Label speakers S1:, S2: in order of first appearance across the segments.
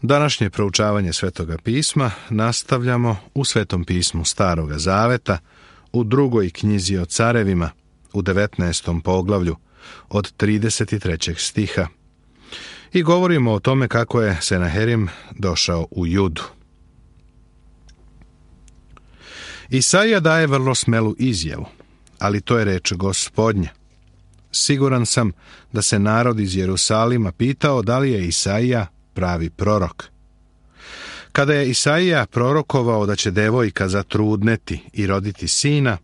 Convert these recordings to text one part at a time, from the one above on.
S1: Današnje proučavanje Svetoga pisma nastavljamo u Svetom pismu Staroga Zaveta, u 2. knjizi o carevima, u 19. poglavlju, od 33. stiha. I govorimo o tome kako je Senaherim došao u Judu. Isaija daje vrlo smelu izjavu, ali to je reč Gospodnja. Siguran sam da se narod iz Jerusalima pitao da li je Isaija pravi prorok. Kada je Isaija prorokovao da će devojka zatrudneti i roditi sina,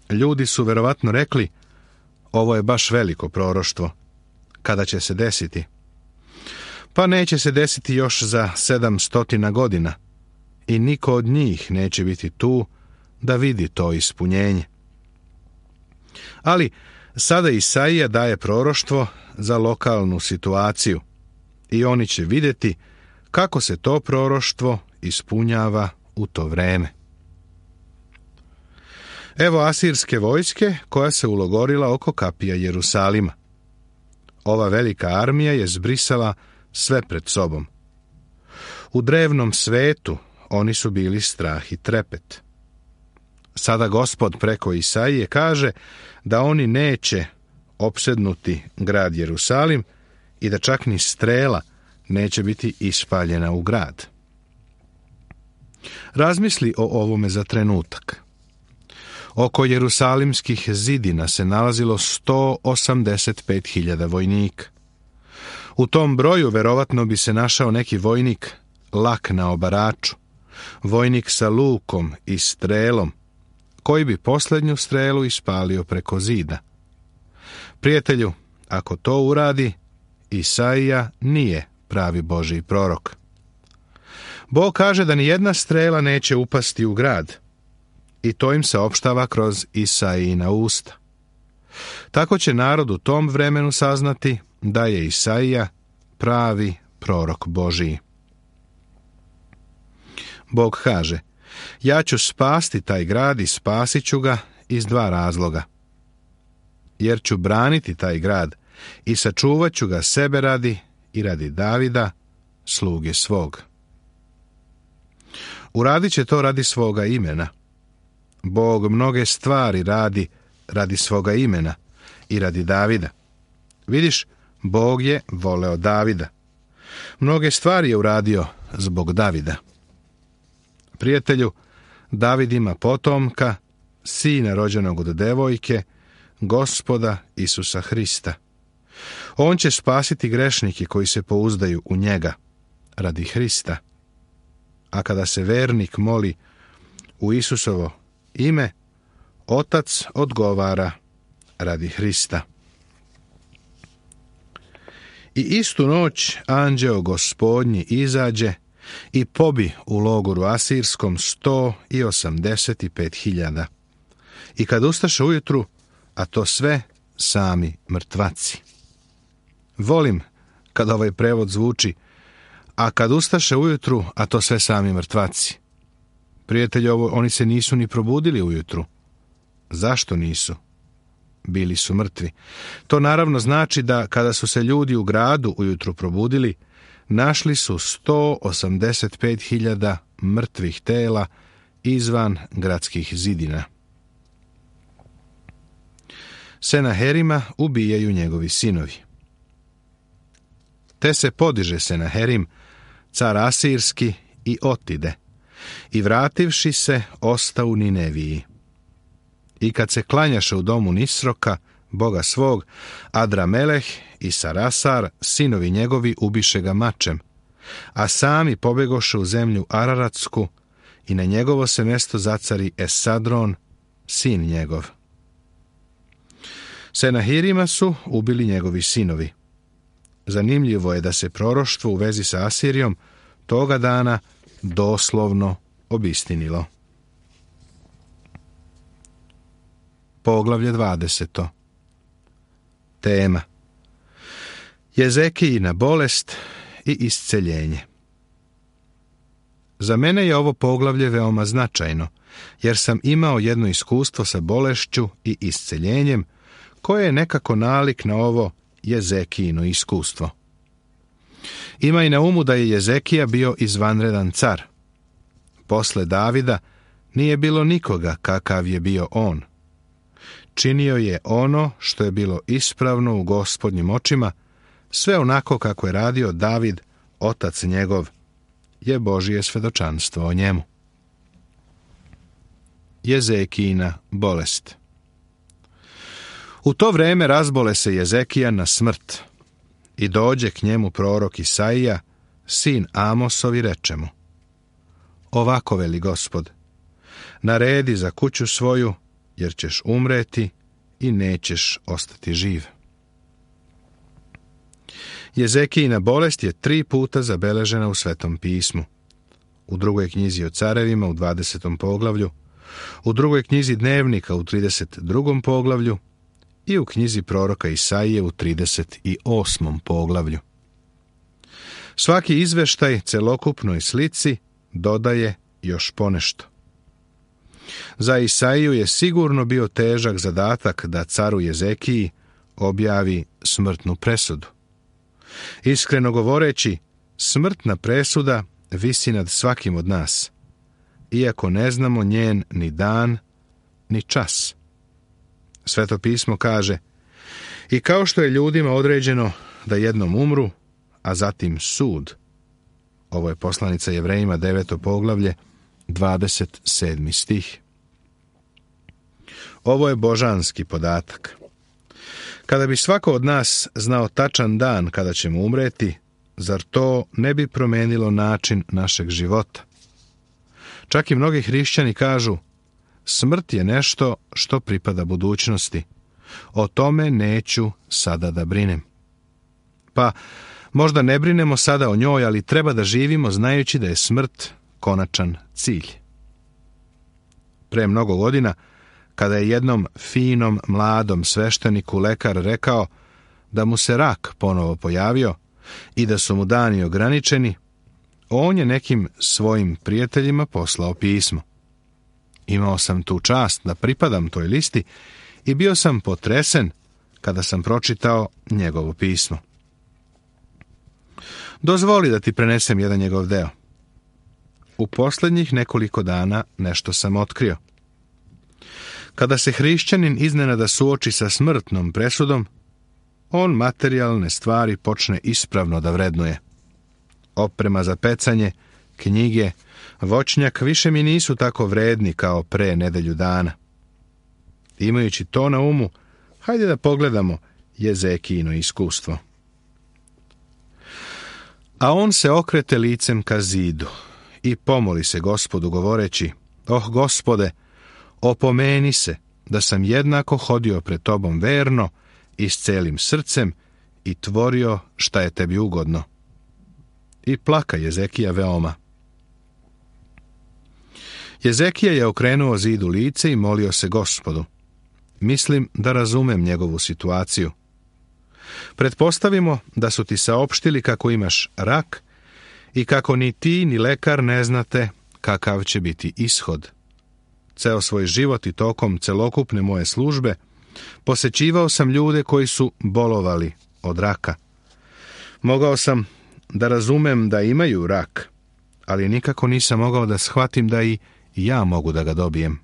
S1: ljudi su verovatno rekli: ovo je baš veliko proroštvo. Kada će se desiti? Pa neće se desiti još za 700 godina i niko od njih neće biti tu da vidi to ispunjenje. Ali sada Isaija daje proroštvo za lokalnu situaciju i oni će vidjeti kako se to proroštvo ispunjava u to vreme. Evo asirske vojske koja se ulogorila oko kapija Jerusalima. Ova velika armija je zbrisala sve pred sobom. U drevnom svetu oni su bili strah i trepet. Sada Gospod preko Isaije kaže da oni neće opsednuti grad Jerusalim i da čak ni strela neće biti ispaljena u grad. Razmisli o ovome za trenutak. Oko jerusalimskih zidina se nalazilo 185.000 vojnika. U tom broju verovatno bi se našao neki vojnik lak na obaraču, vojnik sa lukom i strelom, koji bi posljednju strelu ispalio preko zida. Prijatelju, ako to uradi, Isaija nije pravi Božji prorok. Bog kaže da ni jedna strela neće upasti u grad, i to im se opštava kroz Isaijina usta. Tako će narod u tom vremenu saznati da je Isaija pravi prorok Božji. Bog kaže: ja ću spasti taj grad i spasit ću ga iz 2 razloga. Jer ću braniti taj grad i sačuvat ću ga sebe radi i radi Davida, sluge svog. Uradit će to radi svoga imena. Bog mnoge stvari radi svoga imena i radi Davida. Vidiš, Bog je voleo Davida. Mnoge stvari je uradio zbog Davida. Prijatelju, David ima potomka, sina rođenog od devojke, Gospoda Isusa Hrista. On će spasiti grešnike koji se pouzdaju u njega, radi Hrista. A kada se vernik moli u Isusovo ime, Otac odgovara radi Hrista. I istu noć anđeo Gospodnji izađe i pobi u logoru asirskom 185.000. I kad ustaše ujutru, a to sve sami mrtvaci. Volim kad ovaj prevod zvuči: a kad ustaše ujutru, a to sve sami mrtvaci. Prijatelji, oni se nisu ni probudili ujutru. Zašto nisu? Bili su mrtvi. To naravno znači da kada su se ljudi u gradu ujutru probudili, našli su 185.000 mrtvih tela izvan gradskih zidina. Senaherima ubijaju njegovi sinovi. Te se podiže Senaherim, car asirski, i otide, i vrativši se osta u Nineviji. I kad se klanjaše u domu Nisroka, boga svog, Adrameleh i Sarasar, sinovi njegovi, ubiše ga mačem, a sami pobegoše u zemlju Araratsku i na njegovo se mjesto zacari Esadron, sin njegov. Senahirima su ubili njegovi sinovi. Zanimljivo je da se proroštvo u vezi sa Asirijom toga dana doslovno obistinilo. Poglavlje 20. Tema: Jezekijina bolest i isceljenje. Za mene je ovo poglavlje veoma značajno, jer sam imao jedno iskustvo sa bolešću i isceljenjem, koje je nekako nalik na ovo Jezekijino iskustvo. Imaj na umu da je Jezekija bio izvanredan car. Posle Davida nije bilo nikoga kakav je bio on. Činio je ono što je bilo ispravno u Gospodnjim očima, sve onako kako je radio David, otac njegov, je Božje svedočanstvo o njemu. Jezekijina bolest. U to vreme razbole se Jezekija na smrt i dođe k njemu prorok Isaija, sin Amosov, i reče mu: Ovako veli Gospod, naredi za kuću svoju, jer ćeš umreti i nećeš ostati živ. Jezekijina bolest je 3 puta zabeležena u Svetom pismu. U 2. knjizi o carevima u 20. poglavlju, u 2. knjizi dnevnika u 32. poglavlju i u knjizi proroka Isaije u 38. poglavlju. Svaki izveštaj celokupnoj slici dodaje još ponešto. Za Isaiju je sigurno bio težak zadatak da caru Jezekiji objavi smrtnu presudu. Iskreno govoreći, smrtna presuda visi nad svakim od nas, iako ne znamo njen ni dan, ni čas. Sveto pismo kaže: I kao što je ljudima određeno da jednom umru, a zatim sud. Ovo je poslanica Jevrejima 9. poglavlje, 27. stih. Ovo je božanski podatak. Kada bi svako od nas znao tačan dan kada ćemo umreti, zar to ne bi promenilo način našeg života? Čak i mnogi hrišćani kažu: smrt je nešto što pripada budućnosti. O tome neću sada da brinem. Pa, možda ne brinemo sada o njoj, ali treba da živimo znajući da je smrt konačan cilj. Pre mnogo godina, kada je jednom finom, mladom svešteniku lekar rekao da mu se rak ponovo pojavio i da su mu dani ograničeni, on je nekim svojim prijateljima poslao pismo. Imao sam tu čast da pripadam toj listi i bio sam potresen kada sam pročitao njegovo pismo. Dozvoli da ti prenesem jedan njegov deo. U posljednjih nekoliko dana nešto sam otkrio. Kada se hrišćanin iznenada suoči sa smrtnom presudom, on materijalne stvari počne ispravno da vrednuje. Oprema za pecanje, knjige, voćnjak više mi nisu tako vredni kao pre nedelju dana. Imajući to na umu, hajde da pogledamo Jezekijino iskustvo. A on se okrete licem ka zidu i pomoli se Gospodu govoreći: Gospode, opomeni se da sam jednako hodio pred tobom verno i s celim srcem i tvorio šta je tebi ugodno. I plaka Jezekija veoma. Jezekija je okrenuo zidu lice i molio se Gospodu. Mislim da razumem njegovu situaciju. Pretpostavimo da su ti saopštili kako imaš rak i kako ni ti ni lekar ne znate kakav će biti ishod. Ceo svoj život i tokom celokupne moje službe posećivao sam ljude koji su bolovali od raka. Mogao sam da razumem da imaju rak, ali nikako nisam mogao da shvatim da i ja mogu da ga dobijem.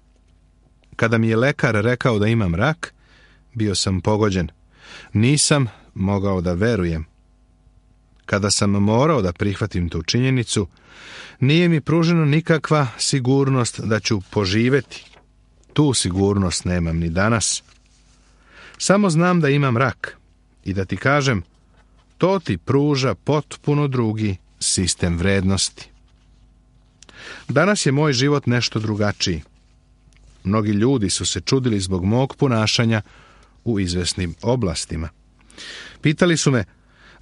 S1: Kada mi je lekar rekao da imam rak, bio sam pogođen. Nisam mogao da verujem. Kada sam morao da prihvatim tu činjenicu, nije mi pruženo nikakva sigurnost da ću poživeti. Tu sigurnost nemam ni danas. Samo znam da imam rak i da ti kažem, to ti pruža potpuno drugi sistem vrednosti. Danas je moj život nešto drugačiji. Mnogi ljudi su se čudili zbog mog ponašanja u izvesnim oblastima. Pitali su me: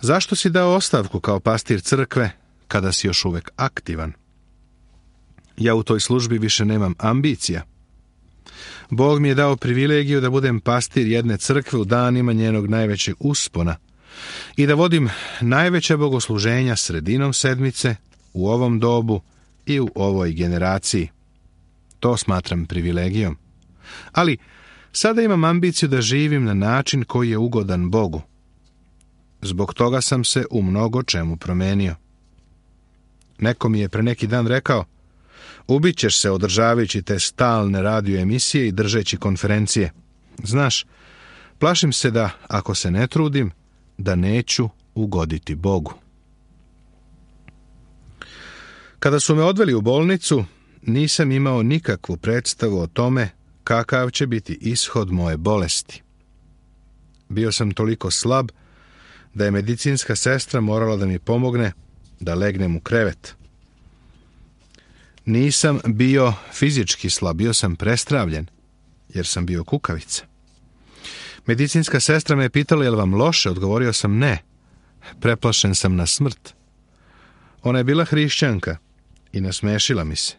S1: zašto si dao ostavku kao pastir crkve kada si još uvek aktivan? Ja u toj službi više nemam ambicija. Bog mi je dao privilegiju da budem pastir jedne crkve u danima njenog najvećeg uspona i da vodim najveća bogosluženja sredinom sedmice, u ovom dobu i u ovoj generaciji. To smatram privilegijom. Ali sada imam ambiciju da živim na način koji je ugodan Bogu. Zbog toga sam se u mnogo čemu promenio. Neko mi je pre neki dan rekao, ubićeš se održavajući te stalne radio emisije i držeći konferencije. Znaš, plašim se da, ako se ne trudim, da neću ugoditi Bogu. Kada su me odveli u bolnicu, nisam imao nikakvu predstavu o tome kakav će biti ishod moje bolesti. Bio sam toliko slab da je medicinska sestra morala da mi pomogne da legnem u krevet. Nisam bio fizički slab, bio sam prestravljen, jer sam bio kukavica. Medicinska sestra me je pitala, je li vam loše? Odgovorio sam ne. Preplašen sam na smrt. Ona je bila hrišćanka i nasmešila mi se.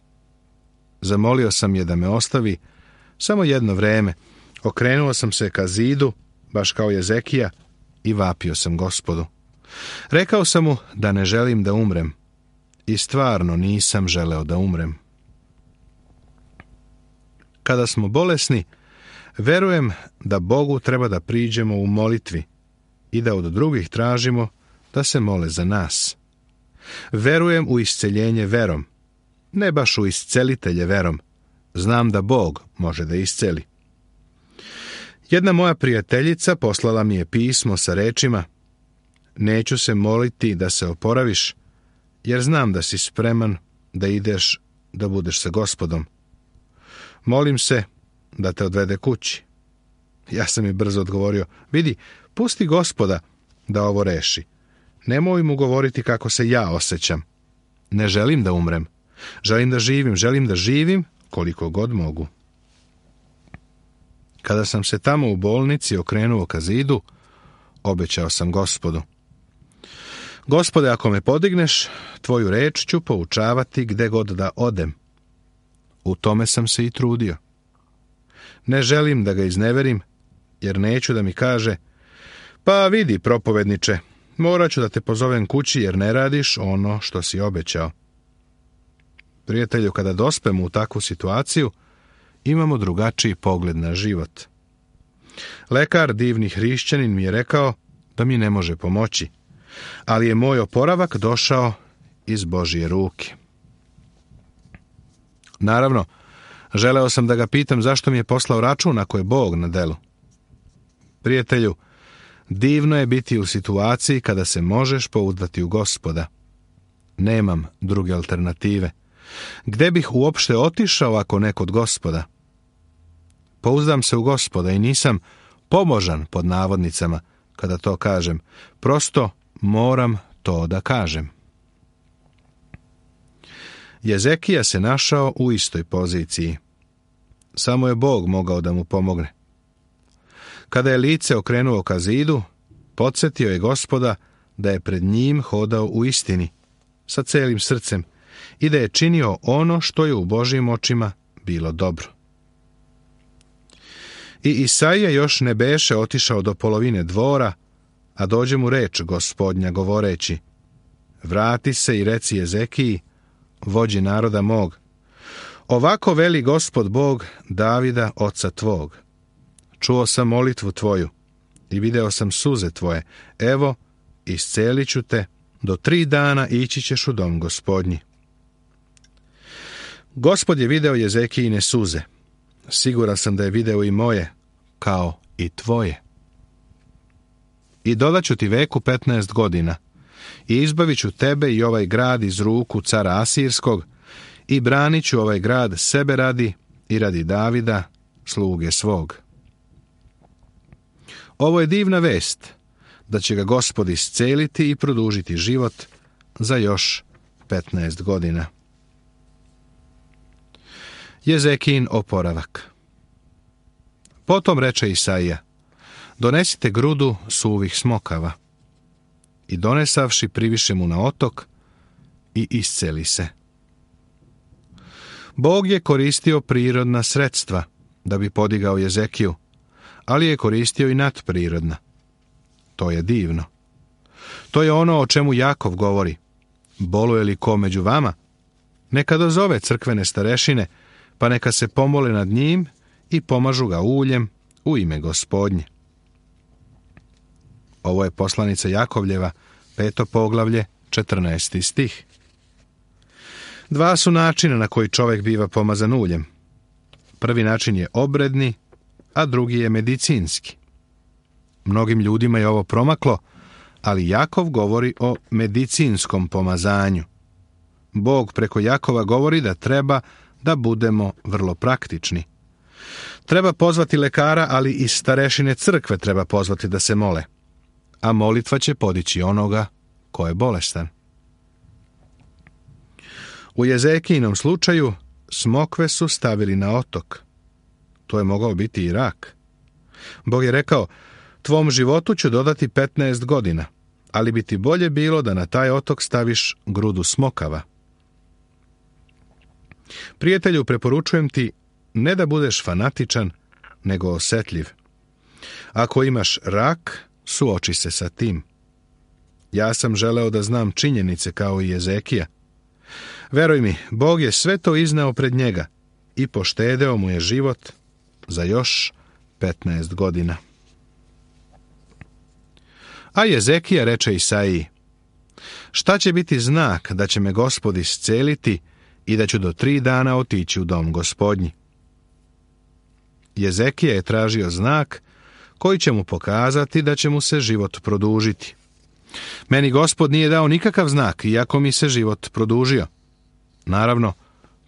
S1: Zamolio sam je da me ostavi samo jedno vreme. Okrenuo sam se ka zidu, baš kao Jezekija, i vapio sam Gospodu. Rekao sam mu da ne želim da umrem. I stvarno nisam želeo da umrem. Kada smo bolesni, verujem da Bogu treba da priđemo u molitvi i da od drugih tražimo da se mole za nas. Verujem u isceljenje verom, ne baš u iscelitelje verom. Znam da Bog može da isceli. Jedna moja prijateljica poslala mi je pismo sa rečima: neću se moliti da se oporaviš, jer znam da si spreman da ideš da budeš sa Gospodom. Molim se da te odvede kući. Ja sam mi brzo odgovorio: vidi, pusti Gospoda da ovo reši. Nemoj mu govoriti kako se ja osjećam. Ne želim da umrem. Želim da živim koliko god mogu. Kada sam se tamo u bolnici okrenuo ka zidu, obećao sam Gospodu: Gospode, ako me podigneš, tvoju reč ću poučavati gde god da odem. U tome sam se i trudio. Ne želim da ga izneverim, jer neću da mi kaže: pa vidi, propovedniče, morat ću da te pozovem kući jer ne radiš ono što si obećao. Prijatelju, kada dospemo u takvu situaciju, imamo drugačiji pogled na život. Lekar, divni hrišćanin, mi je rekao da mi ne može pomoći, ali je moj oporavak došao iz Božije ruke. Naravno, želeo sam da ga pitam zašto mi je poslao račun ako je Bog na delu. Prijatelju, divno je biti u situaciji kada se možeš pouzdati u Gospoda. Nemam druge alternative. Gde bih uopšte otišao ako ne kod Gospoda? Pouzdam se u Gospoda i nisam pomožan pod navodnicama kada to kažem. Prosto moram to da kažem. Jezekija se našao u istoj poziciji. Samo je Bog mogao da mu pomogne. Kada je lice okrenuo ka zidu, podsjetio je Gospoda da je pred njim hodao u istini, sa celim srcem, i da je činio ono što je u Božjim očima bilo dobro. I Isaija još ne beše otišao do polovine dvora, a dođe mu reč Gospodnja govoreći: vrati se i reci Jezekiji, vođi naroda mog: ovako veli Gospod Bog Davida, oca tvog. Čuo sam molitvu tvoju i video sam suze tvoje. Evo, iscelit ću te, do 3 dana ići ćeš u dom Gospodnji. Gospod je video Jezekijine suze. Siguran sam da je video i moje, kao i tvoje. I dodaću ti veku 15 godina i izbavit ću tebe i ovaj grad iz ruku cara Asirskog i branit ću ovaj grad sebe radi i radi Davida, sluge svog. Ovo je divna vest, da će ga Gospod isceliti i produžiti život za još 15 godina. Jezekijin oporavak. Potom reče Isaija: donesite grudu suvih smokava. I donesavši priviše mu na otok i isceli se. Bog je koristio prirodna sredstva da bi podigao Jezekiju, ali je koristio i nadprirodna. To je divno. To je ono o čemu Jakov govori: boluje li ko među vama? Neka dozove crkvene starešine, pa neka se pomole nad njim i pomažu ga uljem u ime Gospodnje. Ovo je poslanica Jakovljeva, 5. poglavlje, 14. stih. Dva su načina na koji čovjek biva pomazan uljem. Prvi način je obredni, a drugi je medicinski. Mnogim ljudima je ovo promaklo, ali Jakov govori o medicinskom pomazanju. Bog preko Jakova govori da treba da budemo vrlo praktični. Treba pozvati lekara, ali i starešine crkve treba pozvati da se mole, a molitva će podići onoga ko je bolestan. U Jezekijinom slučaju smokve su stavili na otok. To je mogao biti i rak. Bog je rekao, tvom životu ću dodati 15 godina, ali bi ti bolje bilo da na taj otok staviš grudu smokava. Prijatelju, preporučujem ti ne da budeš fanatičan, nego osjetljiv. Ako imaš rak, suoči se sa tim. Ja sam želeo da znam činjenice kao i Jezekija. Veruj mi, Bog je sve to izneo pred njega i poštedeo mu je život za još 15 godina. A Jezekija reče Isaiji, šta će biti znak da će me Gospod isceliti i da ću do 3 dana otići u dom Gospodnji? Jezekija je tražio znak koji će mu pokazati da će mu se život produžiti. Meni Gospod nije dao nikakav znak, iako mi se život produžio. Naravno,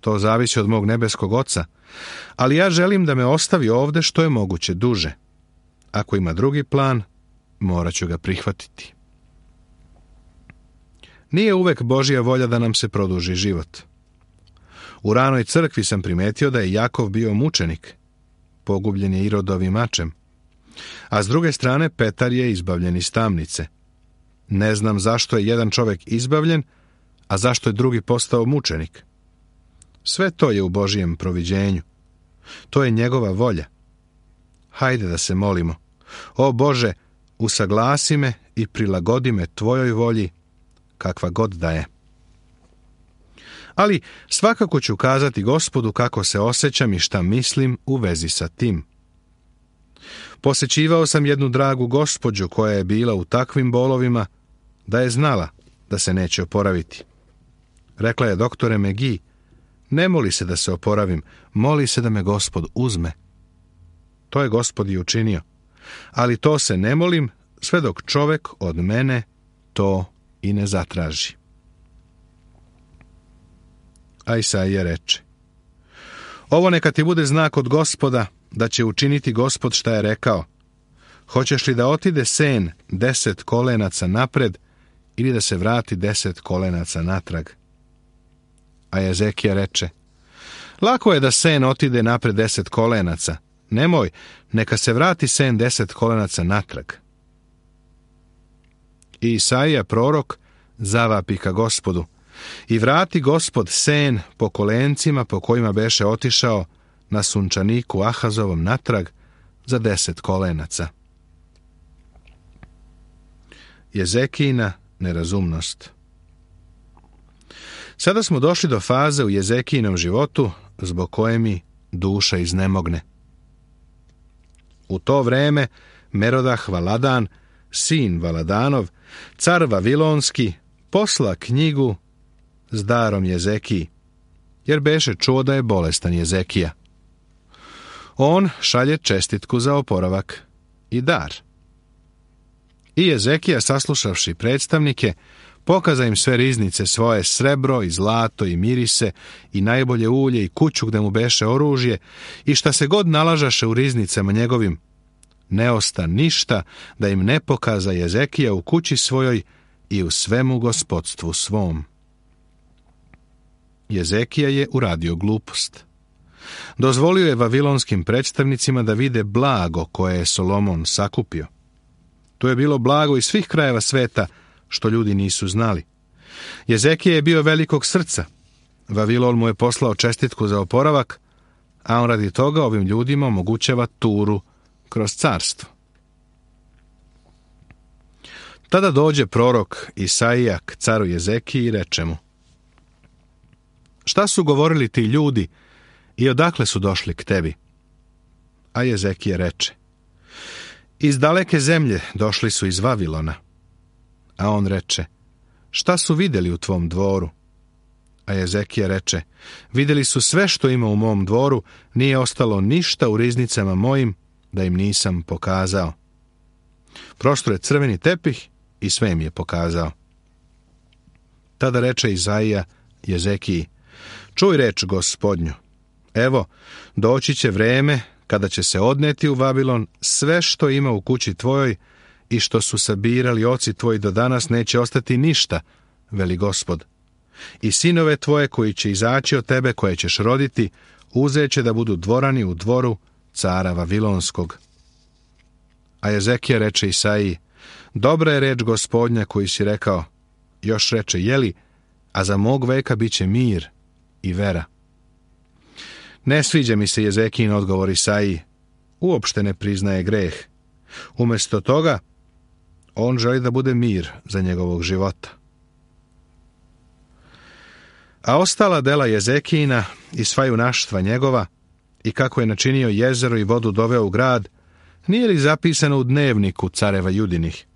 S1: to zavisi od mog nebeskog Oca, ali ja želim da me ostavi ovde što je moguće duže. Ako ima drugi plan, morat ću ga prihvatiti. Nije uvek Božja volja da nam se produži život. U ranoj crkvi sam primetio da je Jakov bio mučenik, pogubljen je Irodovim mačem, a s druge strane Petar je izbavljen iz tamnice. Ne znam zašto je jedan čovjek izbavljen, a zašto je drugi postao mučenik. Sve to je u Božijem proviđenju. To je njegova volja. Hajde da se molimo. O Bože, usaglasi me i prilagodi me tvojoj volji, kakva god da je. Ali svakako ću kazati Gospodu kako se osjećam i šta mislim u vezi sa tim. Posećivao sam jednu dragu gospođu koja je bila u takvim bolovima da je znala da se neće oporaviti. Rekla je, doktore McGee, ne moli se da se oporavim, moli se da me Gospod uzme. To je Gospod i učinio, ali to se ne molim sve dok čovjek od mene to i ne zatraži. A Isaija reče, ovo neka ti bude znak od Gospoda, da će učiniti Gospod šta je rekao. Hoćeš li da otide sen 10 kolenaca napred ili da se vrati 10 kolenaca natrag? A Jezekija reče, lako je da sen otide napred 10 kolenaca. Nemoj, neka se vrati sen 10 kolenaca natrag. I Isaija prorok zavapi ka Gospodu, i vrati Gospod sen po kolencima po kojima beše otišao na sunčaniku Ahazovom natrag za 10 kolenaca. Jezekijina nerazumnost. Sada smo došli do faze u Jezekijinom životu zbog koje mi duša iznemogne. U to vreme Merodah Valadan, sin Valadanov, car Vavilonski, posla knjigu s darom Jezekiji, jer beše čuo da je bolestan Jezekija. On šalje čestitku za oporavak i dar. I Jezekija, saslušavši predstavnike, pokaza im sve riznice svoje, srebro i zlato i mirise i najbolje ulje i kuću gde mu beše oružje i šta se god nalažaše u riznicama njegovim. Ne osta ništa da im ne pokaza Jezekija u kući svojoj i u svemu gospodstvu svom. Jezekija je uradio glupost. Dozvolio je vavilonskim predstavnicima da vide blago koje je Solomon sakupio. To je bilo blago iz svih krajeva sveta, što ljudi nisu znali. Jezekija je bio velikog srca. Vavilon mu je poslao čestitku za oporavak, a on radi toga ovim ljudima omogućava turu kroz carstvo. Tada dođe prorok Isaija k caru Jezekiji i reče mu, šta su govorili ti ljudi i odakle su došli k tebi? A Jezekija reče, Iz daleke zemlje došli su iz Vavilona. A on reče, šta su vidjeli u tvom dvoru? A Jezekija reče, vidjeli su sve što ima u mom dvoru, nije ostalo ništa u riznicama mojim da im nisam pokazao. Prostro je crveni tepih i sve im je pokazao. Tada reče Izaija Jezekiji, čuj reč Gospodnju, evo, doći će vreme kada će se odneti u Vavilon sve što ima u kući tvojoj i što su sabirali oci tvoji do danas neće ostati ništa, veli Gospod. I sinove tvoje koji će izaći od tebe, koje ćeš roditi, uzeće da budu dvorani u dvoru cara Vavilonskog. A Jezekija reče Isaiji, dobra je reč Gospodnja koji si rekao. Još reče, jeli, a za mog veka bit će mir i vera. Ne sviđa mi se Jezekijin odgovor Isaiji, uopšte ne priznaje greh. Umjesto toga, on želi da bude mir za njegovog života. A ostala dela Jezekijina i sva junaštva njegova, i kako je načinio jezero i vodu doveo u grad, nije li zapisano u dnevniku careva Judinih?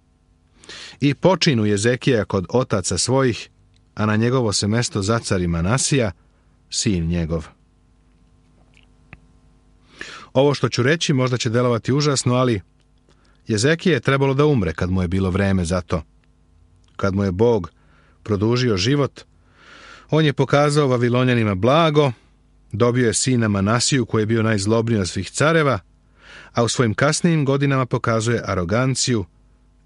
S1: I počinu Jezekija kod otaca svojih, a na njegovo se mesto zacari Manasija, sin njegov. Ovo što ću reći možda će delovati užasno, ali Jezekije je trebalo da umre kad mu je bilo vreme za to. Kad mu je Bog produžio život, on je pokazao Vavilonjanima blago, dobio je sina Manasiju koji je bio najzlobniji od svih careva, a u svojim kasnijim godinama pokazuje aroganciju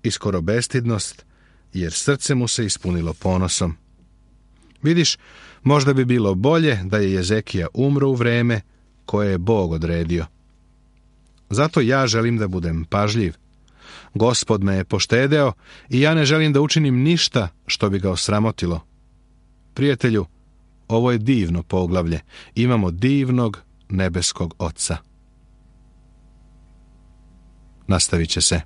S1: i skoro bestidnost, jer srce mu se ispunilo ponosom. Vidiš, možda bi bilo bolje da je Jezekija umro u vreme koje je Bog odredio. Zato ja želim da budem pažljiv. Gospod me je poštedeo i ja ne želim da učinim ništa što bi ga osramotilo. Prijatelju, ovo je divno poglavlje. Imamo divnog nebeskog Oca. Nastavit će se.